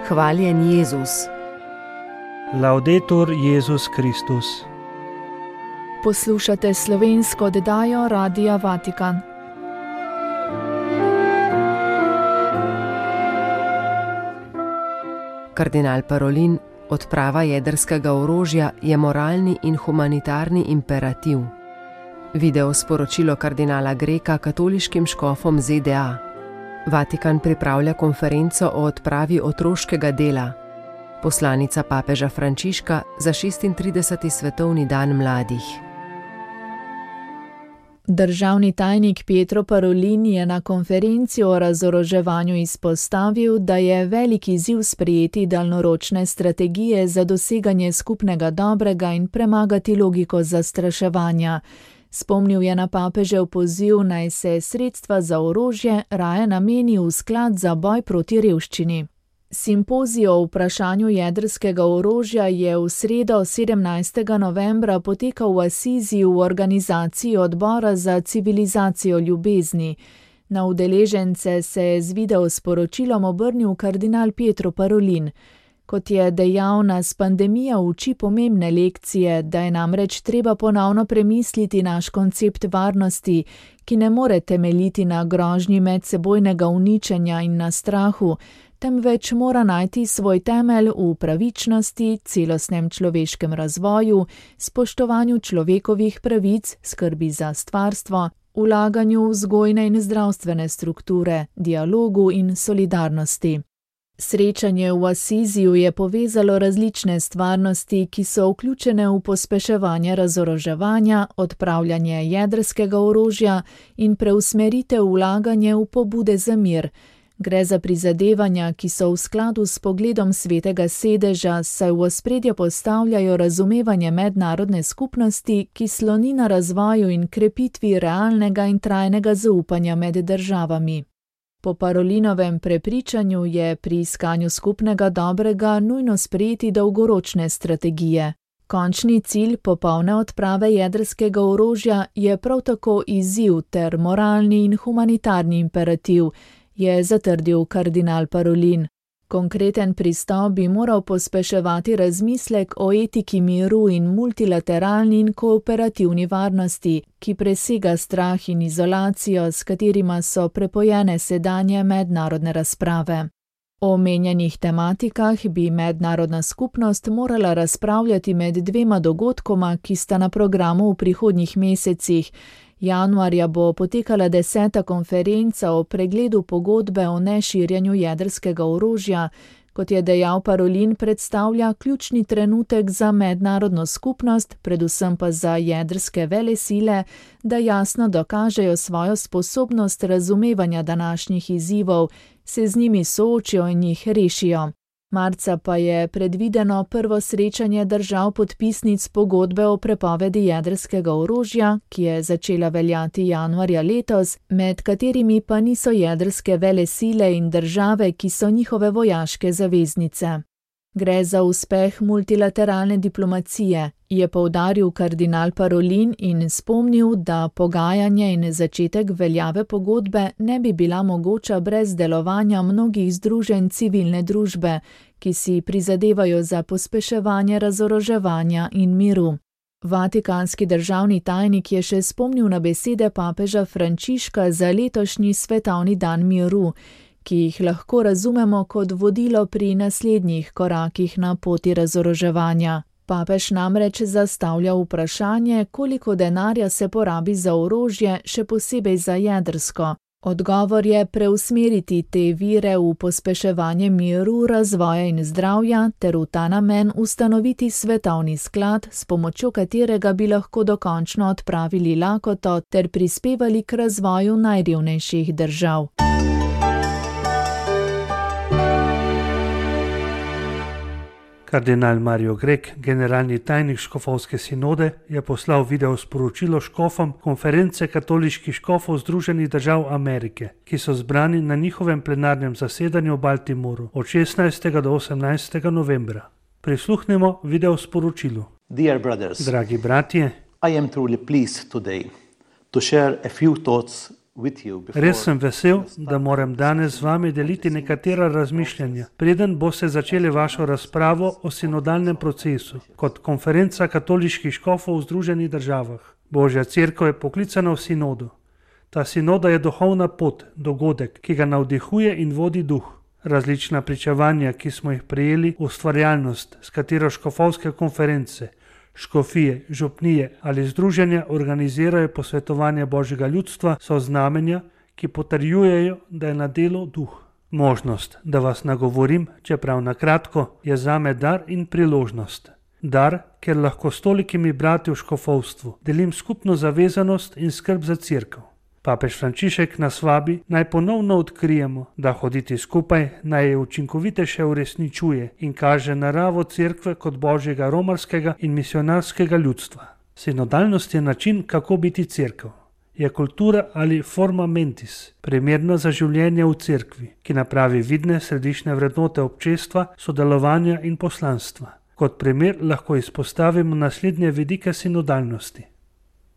Hvaljen Jezus. Laudetur Jezus Kristus. Poslušate slovensko oddajo Radia Vatikan. Kardinal Parolin: odprava jedrskega orožja je moralni in humanitarni imperativ. Video sporočilo kardinala Greka katoliškim škofom ZDA. Vatikan pripravlja konferenco o odpravi otroškega dela. Poslanica papeža Frančiška za 36. svetovni dan mladih. Državni tajnik Pietro Parolin je na konferenci o razoroževanju izpostavil, da je velik izziv sprejeti daljnoročne strategije za doseganje skupnega dobrega in premagati logiko zastraševanja. Spomnil je na papežev poziv, naj se sredstva za orožje raje nameni v sklad za boj proti revščini. Simpozij o vprašanju jedrskega orožja je v sredo 17. novembra potekal v Asiziji v organizaciji Odbora za civilizacijo ljubezni. Na udeležence se je z video sporočilom obrnil kardinal Pietro Parolin. Kot je dejal, nas pandemija uči pomembne lekcije, da je namreč treba ponovno premisliti naš koncept varnosti, ki ne more temeljiti na grožnji medsebojnega uničenja in na strahu, temveč mora najti svoj temelj v pravičnosti, celostnem človeškem razvoju, spoštovanju človekovih pravic, skrbi za stvarstvo, vlaganju v vzgojne in zdravstvene strukture, dialogu in solidarnosti. Srečanje v Asiziju je povezalo različne stvarnosti, ki so vključene v pospeševanje razoroževanja, odpravljanje jedrskega orožja in preusmeritev vlaganje v pobude za mir. Gre za prizadevanja, ki so v skladu s pogledom Svetega sedeža, saj v ospredje postavljajo razumevanje mednarodne skupnosti, ki sloni na razvoju in krepitvi realnega in trajnega zaupanja med državami. Po Parolinovem prepričanju je pri iskanju skupnega dobrega nujno sprejeti dolgoročne strategije. Končni cilj popolne odprave jedrskega orožja je prav tako izziv ter moralni in humanitarni imperativ, je zatrdil kardinal Parolin. Konkreten pristop bi moral pospeševati razmislek o etiki miru in multilateralni in kooperativni varnosti, ki presega strah in izolacijo, s katerima so prepojene sedanje mednarodne razprave. O omenjenih tematikah bi mednarodna skupnost morala razpravljati med dvema dogodkoma, ki sta na programu v prihodnjih mesecih. Januarja bo potekala 10. konferenca o pregledu pogodbe o neširjenju jedrskega orožja. Kot je dejal Parolin, predstavlja ključni trenutek za mednarodno skupnost, predvsem pa za jedrske velesile, da jasno dokažejo svojo sposobnost razumevanja današnjih izzivov, se z njimi soočijo in jih rešijo. Marca pa je predvideno prvo srečanje držav podpisnic pogodbe o prepovedi jedrskega orožja, ki je začela veljati januarja letos, med katerimi pa niso jedrske velesile in države, ki so njihove vojaške zaveznice. Gre za uspeh multilateralne diplomacije, je poudaril kardinal Parolin in spomnil, da pogajanje in začetek veljave pogodbe ne bi bila mogoča brez delovanja mnogih združenj civilne družbe, ki si prizadevajo za pospeševanje razoroževanja in miru. Vatikanski državni tajnik je še spomnil na besede papeža Frančiška za letošnji svetovni dan miru, ki jih lahko razumemo kot vodilo pri naslednjih korakih na poti razoroževanja. Papež namreč zastavlja vprašanje, koliko denarja se porabi za orožje, še posebej za jedrsko. Odgovor je preusmeriti te vire v pospeševanje miru, razvoja in zdravja ter v ta namen ustanoviti svetovni sklad, s pomočjo katerega bi lahko dokončno odpravili lakoto ter prispevali k razvoju najrevnejših držav. Kardinal Mario Grek, generalni tajnik škofovske sinode, je poslal video sporočilo škofom konference katoliških škofov Združenih držav Amerike, ki so zbrani na njihovem plenarnem zasedanju v Baltimoru od 16. do 18. novembra. Prisluhnemo video sporočilu. Dragi bratje, I am truly pleased today to share a few thoughts Res sem vesel, da moram danes z vami deliti nekatera razmišljanja, preden boste začeli vašo razpravo o sinodalnem procesu kot konferenca katoliških škofov v Združenih državah. Božja cerkev je poklicana v sinodo. Ta sinoda je duhovna pot, dogodek, ki ga navdihuje in vodi duh. Različna pričevanja, ki smo jih prejeli, ustvarjalnost, s katero škofovske konference, škofije, župnije ali združenja organizirajo posvetovanje Božjega ljudstva, so znamenja, ki potrjujejo, da je na delu duh. Možnost, da vas nagovorim, čeprav na kratko, je zame dar in priložnost. Dar, ker lahko s tolikimi brati v škofovstvu delim skupno zavezanost in skrb za cerkev. Papež Frančišek nas vabi, naj ponovno odkrijemo, da hoditi skupaj naj je učinkovitejše uresničuje in kaže naravo cerkve kot božjega romarskega in misionarskega ljudstva. Sinodalnost je način, kako biti cerkev. Je kultura ali forma mentis, primerna za življenje v cerkvi, ki napravi vidne središčne vrednote občestva, sodelovanja in poslanstva. Kot primer lahko izpostavimo naslednje vidike sinodalnosti.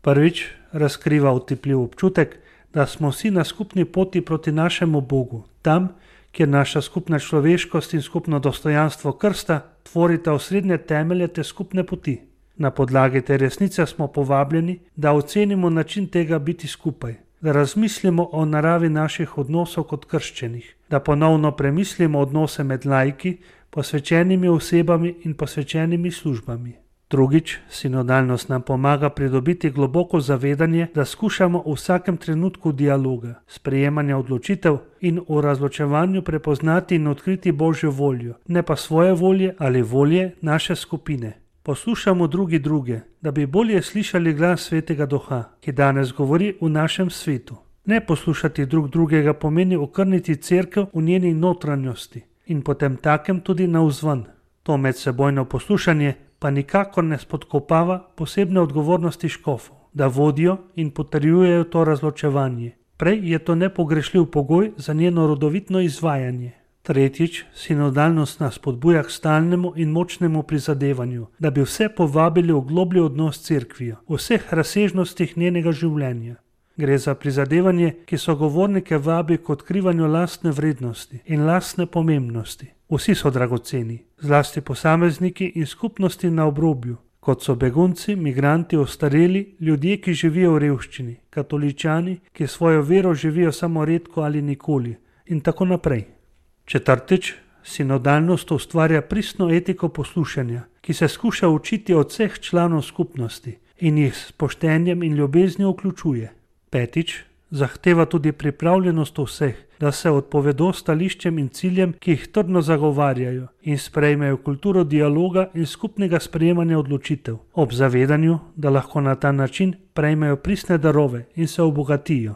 Prvič, razkriva otipljiv občutek, da smo vsi na skupni poti proti našemu Bogu, tam, kjer naša skupna človeškost in skupno dostojanstvo krsta tvorita osrednje temelje te skupne poti. Na podlagi te resnice smo povabljeni, da ocenimo način tega biti skupaj, da razmislimo o naravi naših odnosov kot krščenih, da ponovno premislimo odnose med laiki, posvečenimi osebami in posvečenimi službami. Drugič, sinodalnost nam pomaga pridobiti globoko zavedanje, da skušamo v vsakem trenutku dialoga, sprejemanja odločitev in v razločevanju prepoznati in odkriti Božjo voljo, ne pa svoje volje ali volje naše skupine. Poslušamo druge, da bi bolje slišali glas Svetega Duha, ki danes govori v našem svetu. Ne poslušati drugega pomeni okrniti cerkev v njeni notranjosti in potem takem tudi navzven. To medsebojno poslušanje pa nikakor ne spodkopava posebne odgovornosti škofov, da vodijo in potrjujejo to razločevanje. Prej je to nepogrešljiv pogoj za njeno rodovitno izvajanje. Tretjič, sinodalnost nas spodbuja k stalnemu in močnemu prizadevanju, da bi vse povabili v globlji odnos s cerkvijo, v vseh razsežnostih njenega življenja. Gre za prizadevanje, ki sogovornike vabi k odkrivanju lastne vrednosti in lastne pomembnosti. Vsi so dragoceni, zlasti posamezniki in skupnosti na obrobju, kot so begunci, migranti, ostareli, ljudje, ki živijo v revščini, katoličani, ki svojo vero živijo samo redko ali nikoli in tako naprej. Četrtič, sinodalnost ustvarja pristno etiko poslušanja, ki se skuša učiti od vseh članov skupnosti in jih s poštenjem in ljubeznijo vključuje. Petič, zahteva tudi pripravljenost vseh, da se odpovedo stališčem in ciljem, ki jih trdno zagovarjajo in sprejmejo kulturo dialoga in skupnega sprejemanja odločitev, ob zavedanju, da lahko na ta način prejmejo pristne darove in se obogatijo.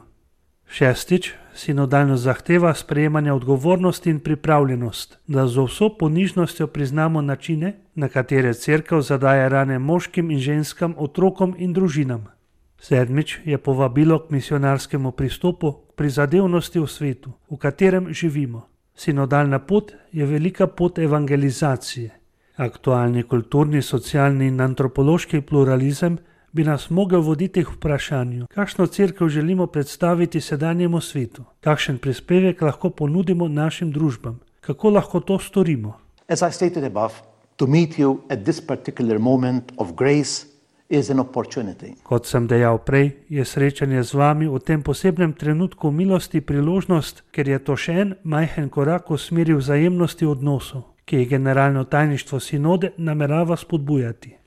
Šestič, sinodalnost zahteva sprejemanje odgovornosti in pripravljenost, da z vso ponižnostjo priznamo načine, na katere cerkev zadaja rane moškim in ženskam, otrokom in družinam. Sedmič je povabilo k misionarskemu pristopu, k prizadevnosti v svetu, v katerem živimo. Sinodalna pot je velika pot evangelizacije. Aktualni kulturni, socialni in antropološki pluralizem bi nas mogel voditi k vprašanju, kakšno cerkev želimo predstaviti sedanjemu svetu, kakšen prispevek lahko ponudimo našim družbam, kako lahko to storimo. As I stated above, to meet you at this particular moment of grace is an opportunity. Kot sem dejal prej, je srečanje z vami v tem posebnem trenutku milosti priložnost, ker je to še en majhen korak v smeri vzajemnosti odnosov, ki je generalno tajništvo sinode namerava spodbujati.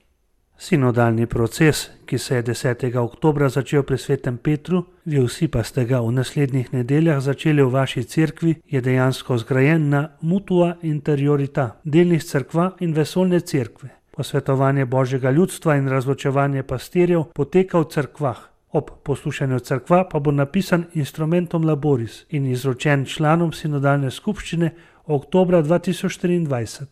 Sinodalni proces, ki se je 10. oktobra začel pri Svetem Petru, vi vsi pa ste ga v naslednjih nedeljah začeli v vaši cerkvi, je dejansko zgrajen na mutua interiorita, delnih cerkva in vesoljne cerkve. Posvetovanje Božjega ljudstva in razločevanje pastirjev poteka v cerkvah. Ob poslušanju cerkva pa bo napisan instrumentum laboris in izročen članom sinodalne skupščine oktobra 2023.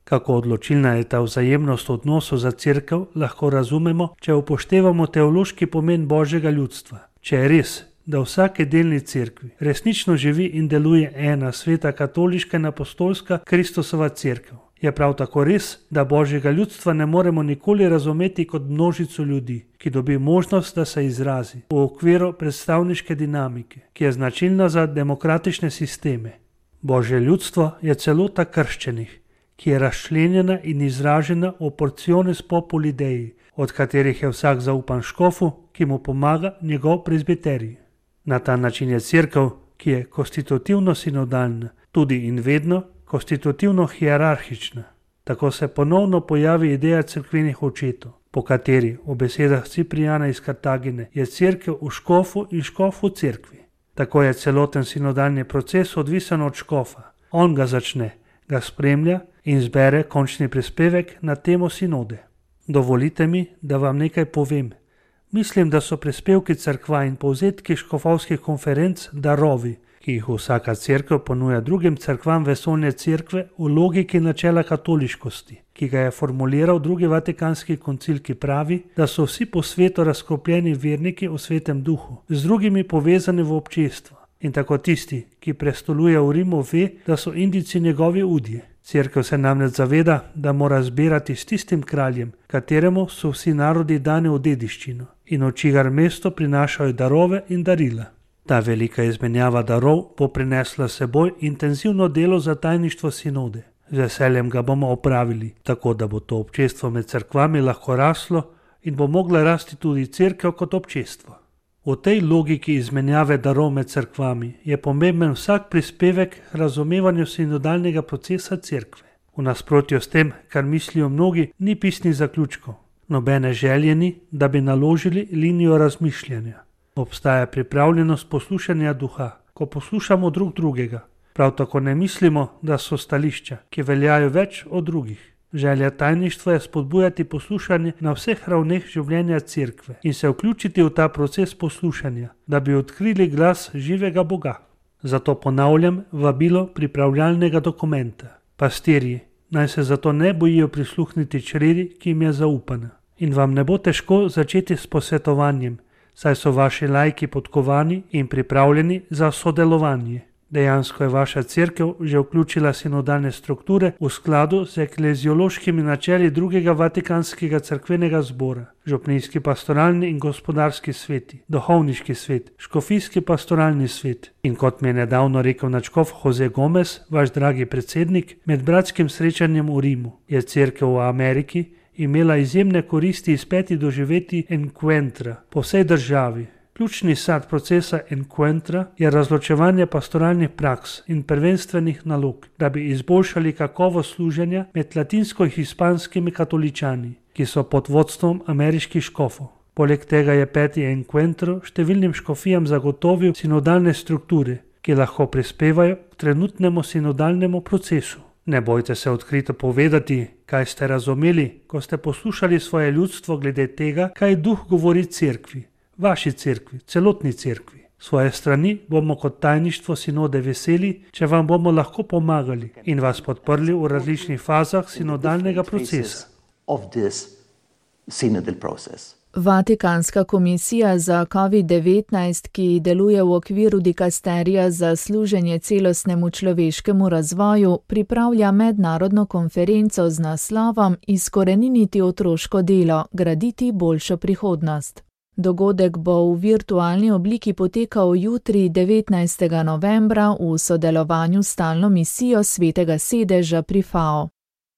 Kako odločilna je ta vzajemnost odnosov za cerkev, lahko razumemo, če upoštevamo teološki pomen Božjega ljudstva. Če je res, da v vsake delni cerkvi resnično živi in deluje ena sveta katoliška in apostolska Kristusova cerkev, Je prav tako res, da božjega ljudstva ne moremo nikoli razumeti kot množico ljudi, ki dobi možnost, da se izrazi v okviru predstavniške dinamike, ki je značilna za demokratične sisteme. Božje ljudstvo je celota krščenih, ki je razčlenjena in izražena v porciones populi Dei, od katerih je vsak zaupan škofu, ki mu pomaga njegov prezbiterij. Na ta način je cerkev, ki je konstitutivno sinodalna, tudi in vedno konstitutivno hierarhična. Tako se ponovno pojavi ideja cerkvenih očetov, po kateri, v besedah Ciprijana iz Kartagine, je cerkev v škofu in škof v cerkvi. Tako je celoten sinodalni proces odvisen od škofa. On ga začne, ga spremlja in zbere končni prispevek na temo sinode. Dovolite mi, da vam nekaj povem. Mislim, da so prispevki cerkva in povzetki škofovskih konferenc darovi, ki jih vsaka cerkev ponuja drugim cerkvam vesoljne cerkve v logiki načela katoliškosti, ki ga je formuliral drugi vatikanski koncil, ki pravi, da so vsi po svetu razkropljeni verniki v svetem duhu, z drugimi povezani v občestvo. In tako tisti, ki prestoluje v Rimu, ve, da so Indijci njegovi udje. Cerkev se namreč zaveda, da mora zbirati s tistim kraljem, kateremu so vsi narodi dani v dediščino in v čigar mesto prinašajo darove in darila. Ta velika izmenjava darov bo prinesla seboj intenzivno delo za tajništvo sinode. Z veseljem ga bomo opravili, tako da bo to občestvo med cerkvami lahko raslo in bo mogla rasti tudi cerkev kot občestvo. V tej logiki izmenjave darov med cerkvami je pomemben vsak prispevek k razumevanju sinodalnega procesa cerkve. V nasprotju s tem, kar mislijo mnogi, ni pisnih zaključkov. Nobene želje ni, da bi naložili linijo razmišljanja. Obstaja pripravljenost poslušanja duha, ko poslušamo drug drugega. Prav tako ne mislimo, da so stališča, ki veljajo več od drugih. Želja tajništva je spodbujati poslušanje na vseh ravneh življenja cerkve in se vključiti v ta proces poslušanja, da bi odkrili glas živega Boga. Zato ponavljam vabilo pripravljalnega dokumenta. Pastirji, naj se zato ne bojijo prisluhniti čredi, ki jim je zaupana. In vam ne bo težko začeti s posvetovanjem, saj so vaši laiki podkovani in pripravljeni za sodelovanje. Dejansko je vaša cerkev že vključila sinodalne strukture v skladu z ekleziološkimi načeli drugega vatikanskega cerkvenega zbora, župnijski pastoralni in gospodarski sveti, duhovniški svet, škofijski pastoralni svet. In kot mi je nedavno rekel nadškof Jose Gomez, vaš dragi predsednik, med bratskim srečanjem v Rimu je cerkev v Ameriki imela izjemne koristi iz 5 doživetij encuentra po vsej državi. Ključni sad procesa encuentra je razločevanje pastoralnih praks in prvenstvenih nalog, da bi izboljšali kakovost služenja med latinsko-hispanskimi katoličani, ki so pod vodstvom ameriških škofov. Poleg tega je 5. encuentro številnim škofijam zagotovil sinodalne strukture, ki lahko prispevajo k trenutnemu sinodalnemu procesu. Ne bojte se odkrito povedati, kaj ste razumeli, ko ste poslušali svoje ljudstvo glede tega, kaj duh govori cerkvi. Vaši cerkvi, celotni cerkvi. Svoje strani bomo kot tajništvo sinode veseli, če vam bomo lahko pomagali in vas podprli v različnih fazah sinodalnega procesa. Vatikanska komisija za COVID-19, ki deluje v okviru dikasterija za služenje celostnemu človeškemu razvoju, pripravlja mednarodno konferenco z naslovom Izkoreniniti otroško delo, graditi boljšo prihodnost. Dogodek bo v virtualni obliki potekal jutri 19. novembra v sodelovanju s stalno misijo Svetega sedeža pri FAO.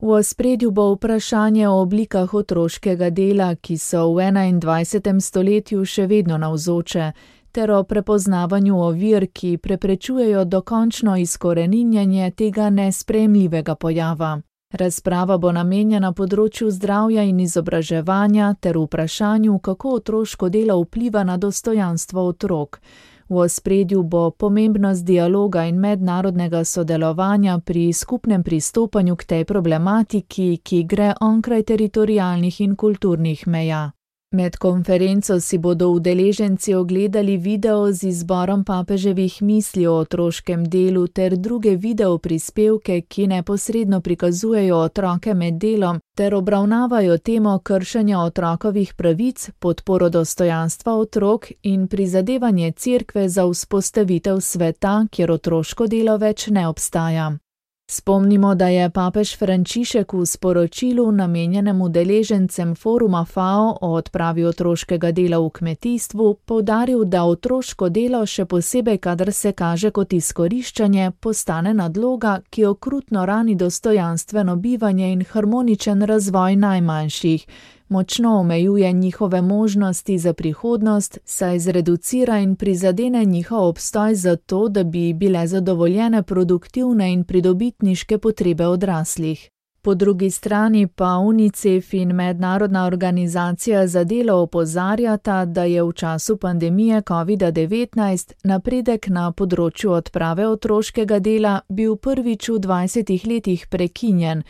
V ospredju bo vprašanje o oblikah otroškega dela, ki so v 21. stoletju še vedno navzoče, ter o prepoznavanju ovir, ki preprečujejo dokončno izkoreninjenje tega nesprejemljivega pojava. Razprava bo namenjena področju zdravja in izobraževanja ter vprašanju, kako otroško delo vpliva na dostojanstvo otrok. V ospredju bo pomembnost dialoga in mednarodnega sodelovanja pri skupnem pristopanju k tej problematiki, ki gre onkraj teritorialnih in kulturnih meja. Med konferenco si bodo udeleženci ogledali video z izborom papeževih misli o otroškem delu ter druge video prispevke, ki neposredno prikazujejo otroke med delom ter obravnavajo temo kršenja otrokovih pravic, podporo dostojanstva otrok in prizadevanje cerkve za vzpostavitev sveta, kjer otroško delo več ne obstaja. Spomnimo, da je papež Frančišek v sporočilu namenjenem udeležencem foruma FAO o odpravi otroškega dela v kmetijstvu poudaril, da otroško delo, še posebej kadar se kaže kot izkoriščanje, postane nadloga, ki okrutno rani dostojanstveno bivanje in harmoničen razvoj najmanjših. Močno omejuje njihove možnosti za prihodnost, saj zreducira in prizadene njihov obstoj zato, da bi bile zadovoljene produktivne in pridobitniške potrebe odraslih. Po drugi strani pa UNICEF in Mednarodna organizacija za delo opozarjata, da je v času pandemije COVID-19 napredek na področju odprave otroškega dela bil prvič v 20 letih prekinjen.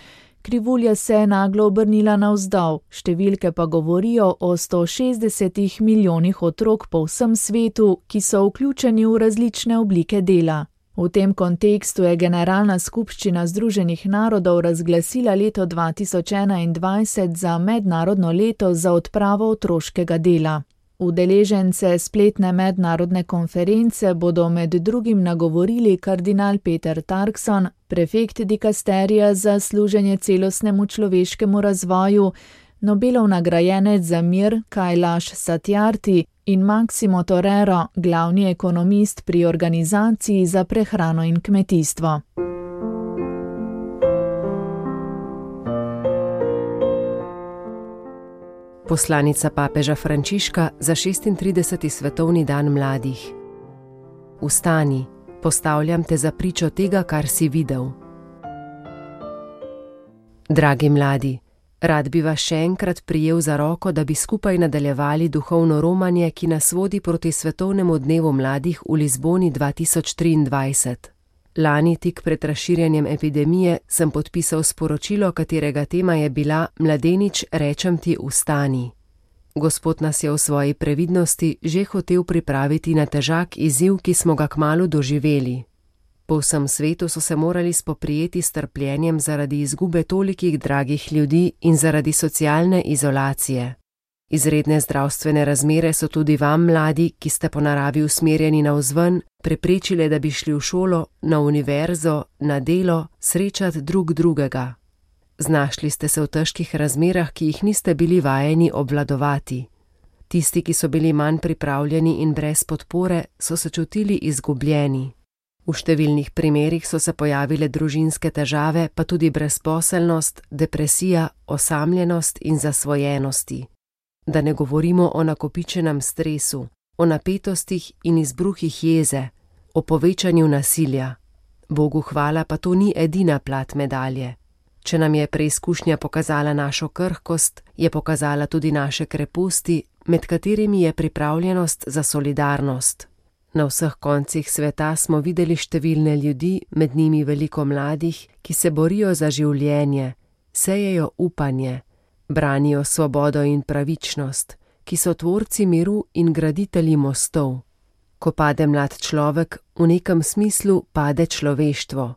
Krivulja se je naglo obrnila navzdol, številke pa govorijo o 160 milijonih otrok po vsem svetu, ki so vključeni v različne oblike dela. V tem kontekstu je Generalna skupščina Združenih narodov razglasila leto 2021 za mednarodno leto za odpravo otroškega dela. Udeležence spletne mednarodne konference bodo med drugim nagovorili kardinal Peter Turkson, prefekt dikasterija za služenje celostnemu človeškemu razvoju, Nobelov nagrajenec za mir Kailash Satyarthi in Massimo Torero, glavni ekonomist pri Organizaciji za prehrano in kmetijstvo. Poslanica papeža Frančiška za 36. svetovni dan mladih. Vstani, postavljam te za pričo tega, kar si videl. Dragi mladi, rad bi vas še enkrat prijel za roko, da bi skupaj nadaljevali duhovno romanje, ki nas vodi proti svetovnemu dnevu mladih v Lizboni 2023. Lani, tik pred razširjanjem epidemije, sem podpisal sporočilo, katerega tema je bila Mladenič, rečem ti, vstani. Gospod nas je v svoji previdnosti že hotel pripraviti na težak izziv, ki smo ga kmalu doživeli. Po vsem svetu so se morali spoprijeti s trpljenjem zaradi izgube tolikih dragih ljudi in zaradi socialne izolacije. Izredne zdravstvene razmere so tudi vam, mladi, ki ste po naravi usmerjeni navzven, preprečile, da bi šli v šolo, na univerzo, na delo, srečati drug drugega. Znašli ste se v težkih razmerah, ki jih niste bili vajeni obvladovati. Tisti, ki so bili manj pripravljeni in brez podpore, so se čutili izgubljeni. V številnih primerih so se pojavile družinske težave, pa tudi brezposelnost, depresija, osamljenost in zasvojenosti. Da ne govorimo o nakopičenem stresu, o napetostih in izbruhih jeze, o povečanju nasilja. Bogu hvala, pa to ni edina plat medalje. Če nam je preizkušnja pokazala našo krhkost, je pokazala tudi naše kreposti, med katerimi je pripravljenost za solidarnost. Na vseh koncih sveta smo videli številne ljudi, med njimi veliko mladih, ki se borijo za življenje, sejejo upanje, branijo svobodo in pravičnost, ki so tvorci miru in graditelji mostov. Ko pade mlad človek, v nekem smislu pade človeštvo.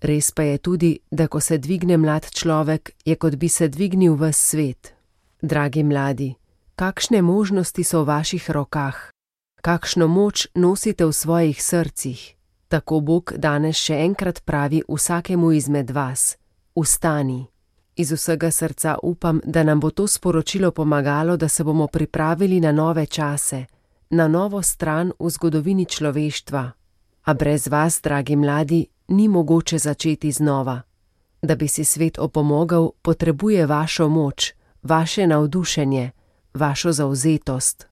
Res pa je tudi, da ko se dvigne mlad človek, je kot bi se dvignil ves svet. Dragi mladi, kakšne možnosti so v vaših rokah? Kakšno moč nosite v svojih srcih? Tako Bog danes še enkrat pravi vsakemu izmed vas: vstani. Iz vsega srca upam, da nam bo to sporočilo pomagalo, da se bomo pripravili na nove čase, na novo stran v zgodovini človeštva. A brez vas, dragi mladi, ni mogoče začeti znova. Da bi si svet opomogel, potrebuje vašo moč, vaše navdušenje, vašo zavzetost.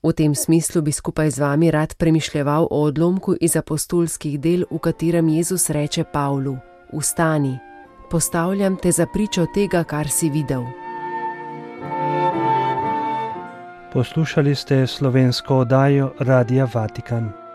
V tem smislu bi skupaj z vami rad premišljeval o odlomku iz apostolskih del, v katerem Jezus reče Pavlu: vstani, postavljam te za pričo tega, kar si videl. Poslušali ste slovensko oddajo Radia Vatikan.